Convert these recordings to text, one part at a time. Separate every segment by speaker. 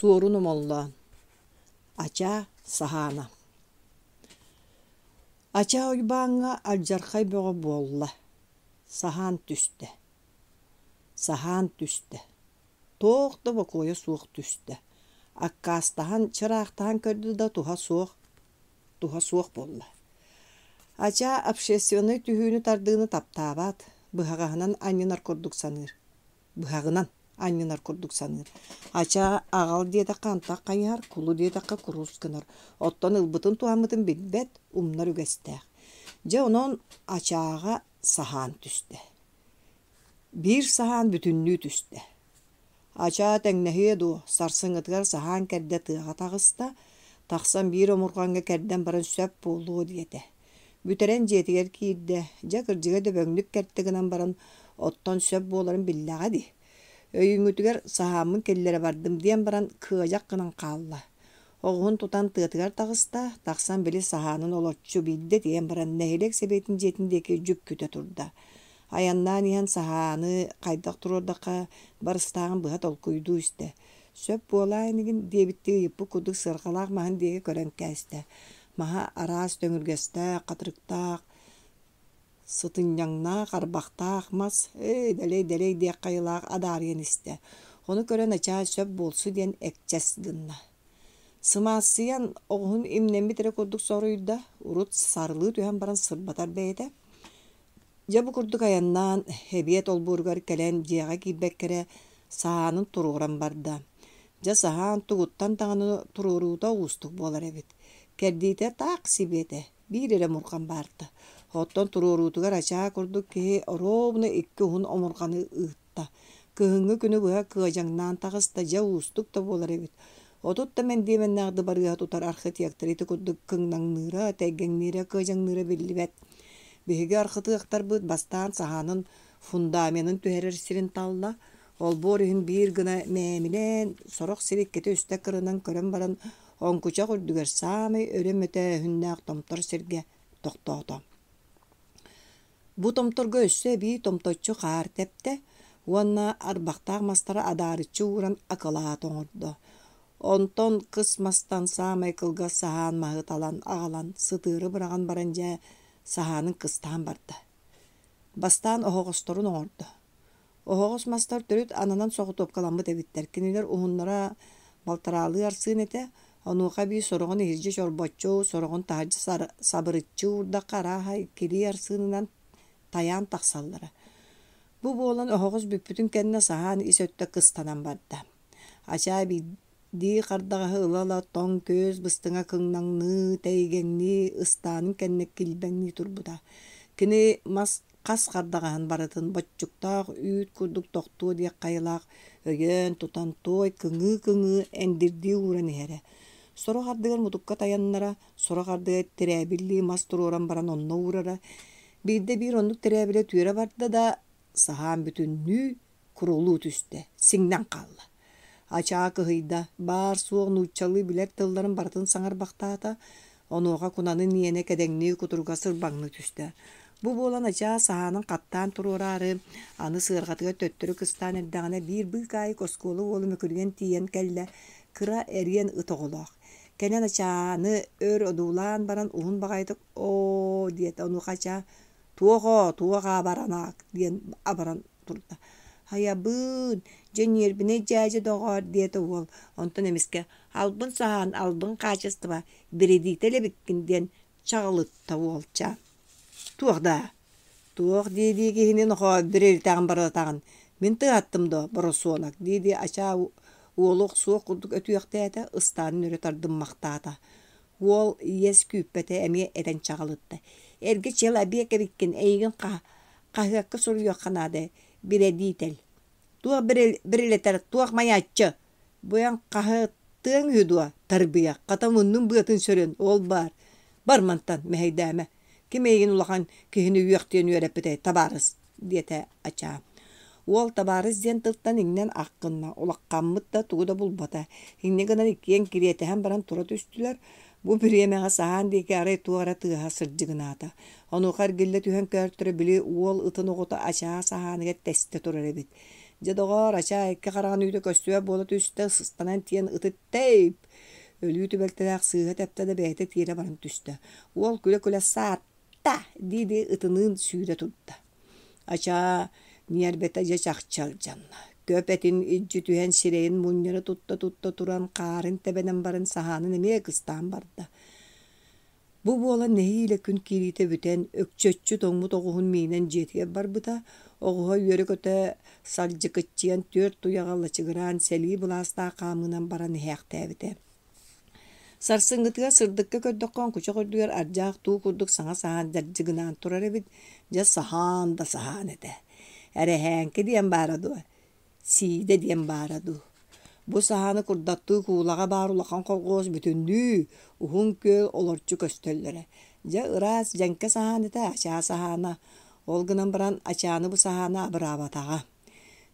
Speaker 1: Суорун Омоллоон Ачаа Саһаана Ачаа Уйбааҥҥа алдьархай бөҕө буолла, саһаан түстэ, саһаан түстэ, туох да бокуойа суох түстэ, аккаастаһан, чыраахтаһан көрдө да туһа суох, туһа суох буолла. Ачаа общественнай түһүүнү-тардыыны таптаабат, быһаҕаһынан анньынар курдук саныыр быһаҕынан анньынар курдук саныыр. Ачаа аҕал диэтэххэ антах хайыһар, кулу диэтэххэ курус гынар. Оттон ылбытын туһаммытын билбэт, умнар үгэстээх. Дьэ онон ачааҕа саһаан түстэ. Биир саһаан бүтүннүү түстэ. Ачаа тэҥнэһиэ дуо, сарсыҥҥытыгар саһаан кэрдэ тыаҕа таҕыста, тахсан биир омурҕаҥҥа кэрдэн баран сөп буолуо диэтэ. Бүтэрэн дьиэтигэр киирдэ, дьэ кырдьыга дөбөҥнүк кэртэ гынан баран, оттон сөп буоларын биллэҕэ дии. Өйүүҥҥүтүгэр саһааммын киллэрэ бардым диэн баран кыадьах гынан хаалла. Оҕуһун тутан тыатыгар таҕыста, тахсан били саһаанын олоччу биирдэ тиийэн баран нэһилиэк сэбиэтин дьиэтин диэки дьүккүтэ турда. Айаннаан иһэн саһааны хайдах туруордахха барыстааҕын быһа толкуйдуу истэ. Сөп буолаа инигин диэбиттии ыйыппыт курдук сыарҕалаах маһын диэки көрөн кээстэ. Маһа араас төҥүргэстээх, хатырыктаах, сытынньаҥнаах, арбахтаах мас «Эй, дэлэй-дэлэй» диэх хайалаах адаарыйан истэ. Ону көрөн начаас сөп буолсу диэн экчэс гынна. Сымаассыйан оҕуһун имнэммит эрэ курдук соруйда, урут сарылыы түһэн баран сырбатар бэйэтэ. Дьэ бу курдук айаннаан, эбиэт олбуоругар кэлэн дьиэҕэ киирбэккэ эрэ саһаанын туруоран барда. Дьэ саһаан тугуттан даҕаны туруоруута уустук буолар эбит. Кэрдиитэ таах сибиэтэ, биир эрэ омурҕан баарта. Оттон туруоруутугар ачаа курдук киһи оруобуна икки уһун омурҕаны ыытта. Кыһыҥҥы күнү быһа кыадьаҥнаан таҕыста, дьэ уустук да буолар эбит. 30 да мэндиэмэннээх дыбарыаһы тутар архитектор ити курдук кыҥнаҥныыра, тэйгэҥниирэ, кыадьаҥныыра биллибэт. Биһиги архытыахтарбыт бастаан саһаанын фундаменын түһэрэр сирин талла, олбуор иһин биир гына мээмилээн, сорох сир иккитэ-үстэ кырынан көрөн баран, оҥкучах үрдүгэр саамай өрө мөтөөһүннээх томтор сиргэ тохтоото. Бу томторго өссө эбии томточчу хаар тэптэ уонна арбахтаах мастары адаарыччы ууран акылаат оҥордо. Онтон кыс мастан саамай кылгас саһаан маһы талан аҕалан сытыары быраҕан баран дьэ саһаанын кыстаан барда. Бастаан оһоҕосторун оҥордо. Оһоҕос мастар төрүт ананан соҕотуопкаламмыт эбиттэр. Кинилэр уһуннара балтараалыы арсыын этэ, онуоха эбии сороҕун иһирдьэ чорбоччу, сороҕун таһырдьа сабырыччы уурдахха арааһа иккилии арсыынынан тайаан тахсаллара. Бу буолан оһоҕос бүппүтүн кэннэ саһаан ис өттө кыстанан барда. Ачаа биирдии хардаҕаһы ыла-ыла тоҥ күөс быстыҥа кыҥнаҥныы, тэйгэҥнии, ыстаанын кэннэ килбэҥнии турбута. Кини мас хас хардаҕаһын барытын боччуктаах үүт курдук тохтуо диэх хайалаах өйөөн тутан туой кыҥыы-кыҥыы эндирдии ууран иһэрэ. Сорох ардыгар мутукка тайаннара, сорох ардыгар тирээбиллии мас туруоран баран онно уурара. Биирдэ биир оннук тирээбилэ түөрэ барда да, саһаан бүтүннүү курулуу түстэ, сиҥнэн хаалла. Ачаа кыһыйда, баар-суох нууччалыы билэр тылларын барытын саҥарбахтаата, онуоха кунанын иэнэ кэдэҥнии кутуруга сырбаҥныы түстэ. Бу буолан Ачаа саһаанын хаттаан туруораары, аны сыарҕатыгар төттөрү кыстаан эрдэҕинэ биир быыкаайык оскуола уола мөкүрүйэн тиийэн кэллэ, кыра эриэн ыт оҕолоох. Кэнэн Ачааны өр одуулаан баран уһун баҕайытык «Оо» диэтэ, онуоха Ачаа «Туох оо, туох аабаранаак» диэн абаран турда. «Хайабыын, дьэ ньиэрбинэй дьээдьэ доҕоор» диэтэ уол, онтон эмискэ «Албын саһаан, албын хаачыстыба, биридиитэл эбиккин» диэн чаҕылытта уолчаан. «Туох даа? Туох дии-дии киһини нохоо бирилитэҕин барылатаҕын, мин тыаһаттым дуо, боросуонак» дии-дии Ачаа уолу охсуох курдук өтүөхтээтэ, ыстаанын өрө тардыммахтаата. Уол иэс күүппэтэ эмиэ этэн чаҕылытта: «Эргэ чел эбиэк эбиккин, эйигин хаһыакка суруйуохха наада, бирэдиитэл. Туох бирилэтэр, туох майааччы? Бу эн хаһыаттыаҥ үһү дуо, тарбыйах, хата муннун быатын сөрүн, ол баар. Бар мантан, мэһэйдээмэ. Ким эйигин улахан киһини үөхтүөн үөрэппитэй, табаарыс?» диэтэ Ачаа. Уол табаарыс диэн тылтан иҥнэн ах гынна, улаххаммыт да тугу да булбата. Инньэ гынан иккиэн кириэтэһэн баран тура түстүлэр. Бу бириэмэҕэ саһаан диэки арай туох эрэ тыаһа сырдьыгынаата. Онуоха эргиллэ түһэн көөртөрө били уол ытын оҕото Ачаа саһааныгар тэстэ турар эбит. Дьэ, доҕоор, Ачаа икки хараҕын үүтэ көстүбэт буола түстэ, сыстанан тиийэн ыты тэйп! Өлүү түбэлтэлээх сыыһа тэптэ да бэйэтэ тиэрэ баран түстэ. Уол күлэ-күлэ саатта дии-дии ытыныын сүүрэ турда. Ачаа ньиэрбэтэ дьэ чахчы алдьанна. Көп этин илдьи түһэн сирэйин мунньара тутта-тутта туран хаарын тэбэнэн баран саһаанын эмиэ кыстаан барда. Бу буолан нэһиилэ күн киириитэ бүтэн, өкчөччү тоҥмут оҕуһун миинэн дьиэтигэр барбыта. Оҕуһа үөрэ-көтө сардьыкыччыйан түөрт туйаҕа лачыгыраан сэлии былаастаах хаамыынан баран иһээхтээбитэ. Сарсыҥҥытыгар сырдыкка көрдөххө оҥкучах үрдүгэр ардьаах туу курдук саҥа саһаан дьардьыгынаан турар эбит. Дьэ саһаан да саһаан этэ. Эрэһээҥки диэн баара дуо? Сиидэ диэн баара дуу? Бу саһааны курдаттыы куулаҕа баар улахан колхуос бүтүннүү Уһун Күөл олорчу көстөллөрө. Дьэ ыраас дьэҥкэ саһаан этэ ачаа саһаана. Ол гынан баран ачааны бу саһаана абыраабатаҕа.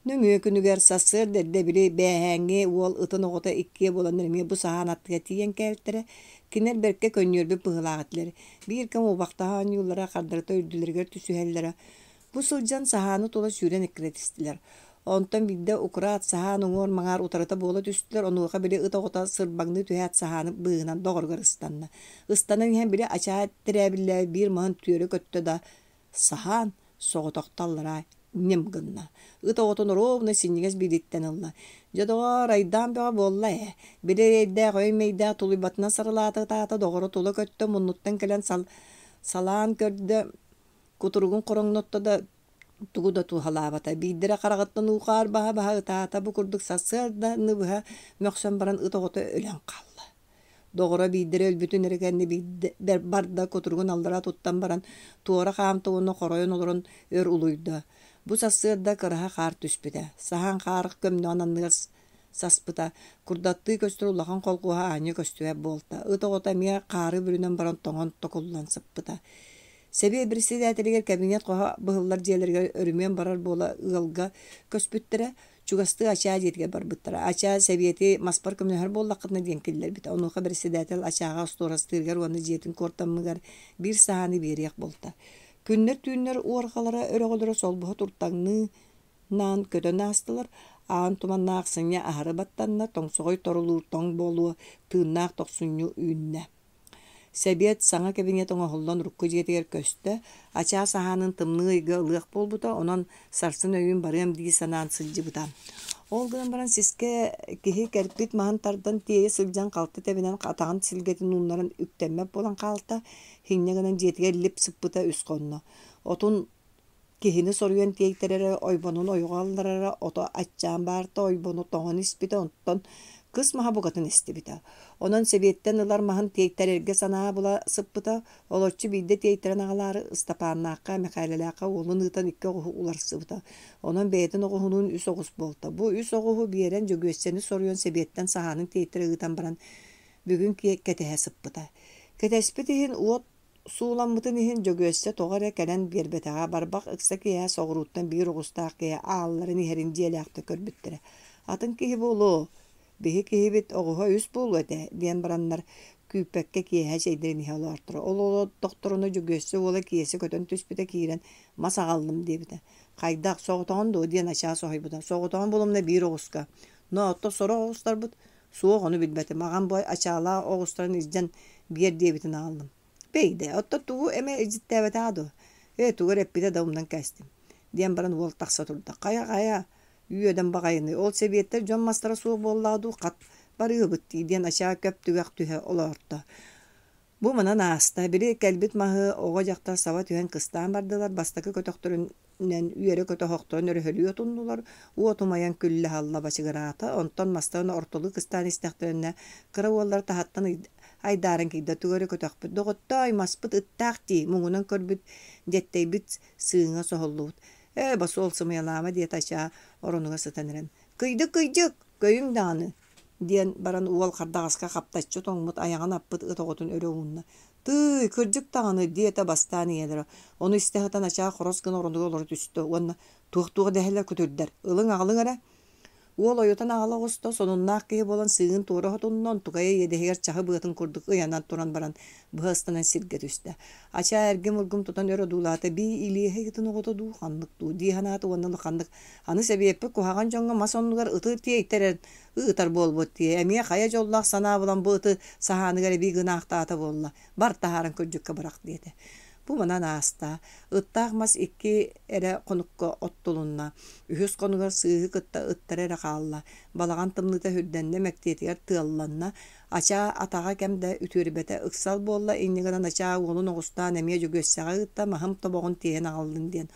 Speaker 1: Нөҥүө күнүгэр сарсыарда эрдэ били бээһээҥҥи уол ытын оҕото иккиэ буоланнар эмиэ бу саһаан аттыгар тиийэн кээлтэрэ. Кинилэр бэркэ көнньүөрбүт быһыылаах этилэр. Биир кэм убахтаһа оонньууллара, хардарыта үрдүлэригэр түсүһэллэрэ. Бу сылдьан саһааны тула сүүрэн эккирэтистилэр. Онтон биирдэ укураат саһаан уҥуор-маҥаар утарыта буола түстүлэр, онуоха били ыт оҕото сырбаҥныы түһээт саһааны быыһынан доҕоругар ыстанна. Ыстанан иһэн били ачаа тирээбиллээбит биир маһын түөрэ көттө да, саһаан соҕотохто аллараа ньим гынна. Ыт оҕотун оруобуна синньигэс биилиттэн ылла. Дьэ доҕоор, айдаан бөҕө буолла ээ. Били эрэйдээх өй-мэйдээх тулуйбатынан сарылаата ытаата, доҕоро тула көттө, муннуттан кэлэн сал салаан көрдө, Кутуругун хороҥнотто да тугу да туһалаабата. Биирдэрэ хараҕыттан уу-хаар баһа-баһа ытаата, бу курдук сарсыарданы быһа мөхсөн баран ыт оҕото өлөн хаалла. Доҕоро биирдэрэ өлбүтүн эрэ кэннэ биирдэ барда кутуругун аллара туттан баран туора хаамта уонна хоройон олорон өр улуйда. Бу сарсыарда кыраһа хаар түспүтэ. Саһаан хаар көмнөҕүн анныгар саспыта, курдаттыы көстөр улахан холкуоһа аанньа көстүбэт буолта. Ыт оҕото эмиэ хаары бүрүнэн баран тоҥон токуллан сыппыта. Сэбиэ председателигэр кабинет хоһо быһыллар дьиэлэригэр өрүмүөн барар буола ыалга көспүттэрэ, чугастыы Ачаа дьиэтигэр барбыттара. Ачаа сэбиэти маспар көмөлөһөр буоллаххытына диэн киллэрбитэ. Онуоха председатель Ачааҕа остуорастыырыгар уонна дьиэтин куортаммыгар биир саһааны биэриэх буолта. Күннэр-түүннэр уорҕалара өрөҕөлөрө солбуһа туртаҥныы наан көтөн аастылар, аан туманнаах сынньа аһары баттанна, тоҥсоҕой торулуур тоҥ буолуо, тыыннаах тохсунньу үүннэ. Сэбиэт саҥа кабинет оҥоһуллан урукку дьиэтигэр көстө, ачаас аһаанын тымныы ыйга ылыах буолбута, онон сарсын өйүүн барыам дии санаан сылдьыбыта. Ол гынан баран сискэ киһи кэлбит маһын тардан тиэйэ сылдьан халты тэбинэн атаҕын силгэтин ууннаран үктэммэт буолан хаалта, инньэ гынан дьиэтигэр лип сыппыта үс хонно. Отун Киһини соруйан тиэйтэрэрэ, ойбонун ойоҕо алларара, ото аччаан баарта, ойбону тоҥон испитэ, онтон кыс маһа букатын эстибитэ. Онон сэбиэттэн ылар маһын тиэйтэрэргэ санаа була сыппыта, олоччу биирдэ тиэйтэрэн аҕалаары Ыстапааннаахха, Мэхээлэлээххэ уолун ыытан икки оҕуһу уларсыбыта. Онон бэйэтин оҕуһунуун үс оҕус буолта. Бу үс оҕуһу биэрэн Дьөгүөссэни соруйан сэбиэттэн саһаанын тиэйтэрэ ыытан баран бүгүн кэтэһэ сыппыта. Кэтэспит иһин уот Сууламмытын иһин Дьөгүөссэ тоҕо эрэ кэлэн биэрбэтэҕэ, барбах ыкса киэһэ соҕурууттан биир оҕустаах киһи аалларын иһэрин дьиэлээхтэр көрбүттэрэ. «Атын киһи буолуо, биһи киһибит оҕуһа үс буолуо этэ» диэн бараннар күүппэккэ киэһэ чэйдэрин иһэ олоортро. Ол олордохторуна Дьөгүөссэ уола Киэсэ көтөн түспүтэ киирэн «Мас аҕаллым» диэбитэ. «Хайдах, соҕотоҕун дуо?» диэн ачаа соһуйбута. «Соҕотоҕун буолумна биир оҕуска. Но оттон сорох оҕустарбыт Суох, ону билбэтим. Аҕам бу ачаалаах оҕустарын илдьэн биэр диэбитин аҕаллым. Бэйдэ, оттон тугу эмэ илдьиттээбэтэҕэ дуо? Ээ, тугу эрэ эппитэ да умнан кээстим, диэн баран уол тахса турда. Хайа-хайа, үөдэн баҕайыный, ол сэбиэттэр дьон мастара суох буоллаҕа дуу, хат барыыбыт дии диэн ачаа көп түгэх түһэ олоорто. Бу манан ааста, били кэлбит маһы оҕо-дьахтар саба түһэн кыстаан бардылар, бастакы көтөхтөрүнэн үөрэ-көтө оһохторун өрөһөлүү отуннулар, уот умайан күллэ-салла бачыгыраата, онтон мастарын ортолуу кыстаан истэхтэринэ кыра уоллара таһыттан айдааран киирдэ, тугу эрэ көтөхпүт, доҕоттоой, маспыт ыттаах дии, муҥунан көрбүт, дьэттэйбит сыыҥа соһуллубут. Ээ, босуол сымыйалаама диэтэ Ачаа оронугар сытан эрэн. Кыйдык-кыйдьык, көйүҥ даҕаны диэн баран уол хардаҕаска хаптаччы тоҥмут айаҕын аппыт ыт оҕотун өрө уунна. «Тыый, кырдьык даҕаны» диэтэ бастаан ийэлэрэ. Ону истэ сытан ачаа хорос гына оронугар олоро түстэ уонна «Туох-туох дэһэллэр күтүрдэр, ылыҥ-аҕалыҥ эрэ» Уол ойутан аҕала оҕуста, сонуннаах киһи буолан сыыһын туора сотунна, онтукайа иэдэһигэр чаһы быатын курдук ыйанан туран баран быһа ыстанан сиргэ түстэ. Ачаа эргим-ургум тутан өр одуулаата, бии илиэһэй ытын оҕото дуу, ханнык дуу дии санаата уонна улаханнык аны сэбиэппит куһаҕан дьоҥҥо мас оннугар ыты тиэйтэрэн ыытар буолбут дии, эмиэ хайа дьоллоох санаа булан бу ыты саһааныгар эбии гынаахтаата буолла, бар таһааран күрдьүккэ бырах диэтэ. Бу манан ааста. Ыттаах мас икки эрэ хонукка оттулунна. Үһүс хонугар сыыһы кытта ыттара эрэ хаалла. Балаҕан тымныыта сүрдэннэ, мэктиэтигэр тыалланна. Ачаа атаҕа кэм да үтүөрбэтэ. Ыксал буолла, инньэ гынан Ачаа уолун оҕустаан эмиэ Дьөгүөссэҕэ ыытта, маһым тобоҕун тиэйэн аҕаллын диэн.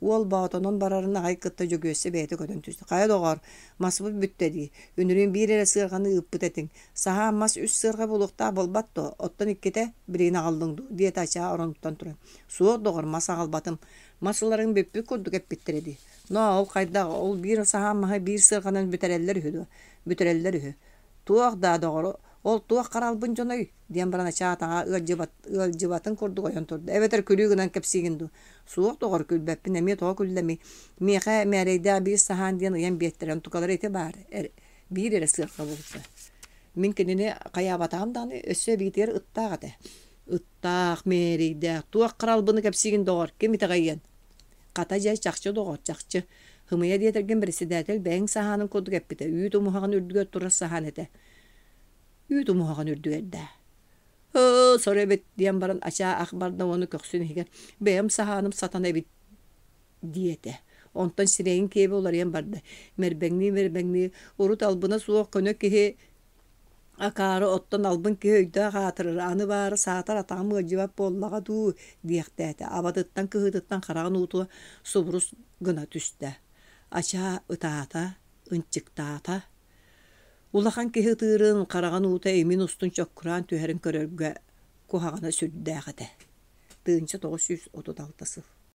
Speaker 1: Уол Боотонон барарын аҕай кытта Дьөгүөссэ бэйэтэ көтөн түстэ. «Хайа доҕоор, маспыт бүттэ дии. Үнүрүүн биир эрэ сыарҕаны ыыппыт этиҥ. Саһаан мас үс сыарҕа буолуохтаах буолбат дуо? Оттон иккитэ билигин аҕаллыҥ дуу?» диэтэ Ачаа оронуттан туран. «Суох, доҕор, мас аҕалбатым. Мас ыларыҥ бүппүт курдук эппиттэрэ дии. Ноо, ол хайдах, ол биир саһаан маһы биир сыарҕанан бүтэрэллэр үһү дуо? Бүтэрэллэр үһү. Туох даа, доҕор, ол туох харалбын дьоной?» диэн баран Ачаа атаҕа ыалдьыбат, ыалдьыбатын курдук ойон турда. «Эбэтэр күлүү гынан кэпсиигин дуу?» «Суох, доҕор, күлбэппин, эмиэ тоҕо күллэмий? Миэхэ мээрэйдээх биир саһаан диэн ыйан биэртэрэ, онтукалара ити баар, биир эрэ сыарҕа буолта. Мин кинини хайаабатаҕым даҕаны, өссө эбиитигэр ыттаах этэ. Ыттаах, мээрэйдээх, туох харалбыны кэпсиигин, доҕор, ким итэҕэйиэн? Хата дьэ, чахчы доҕор, чахчы. Һымыйа диэтэргин председатель бэйэҥ саһаанын курдук эппитэ, үүт умуһаҕын үрдүгэр турар саһаан этэ. Үүт умуһаҕын үрдүгэр даа. Ыы, сор эбит, диэн баран ачаа ах барда уонна көхсүн иһигэр бэйэм саһааным сатана эбит диэтэ. Онтон сирэйин киэбэ уларыйан барда. Мэрбэҥнии-мэрбэҥнии, урут албына суох көнө киһи акаары оттон албын киһи өйдөөх аатырар, аны баара саатар атаҕым ыалдьыбат буоллаҕа дуу диэхтээтэ. Абатыттан кыһыытыттан хараҕын уутуга субурус гына түстэ. Ачаа ытаата, ынчыктаата. Улахан киһи ытыырын, хараҕын уута имин устун чоккураан түһэрин көрөргө куһаҕана сүрдээх этэ. 1936 сыл.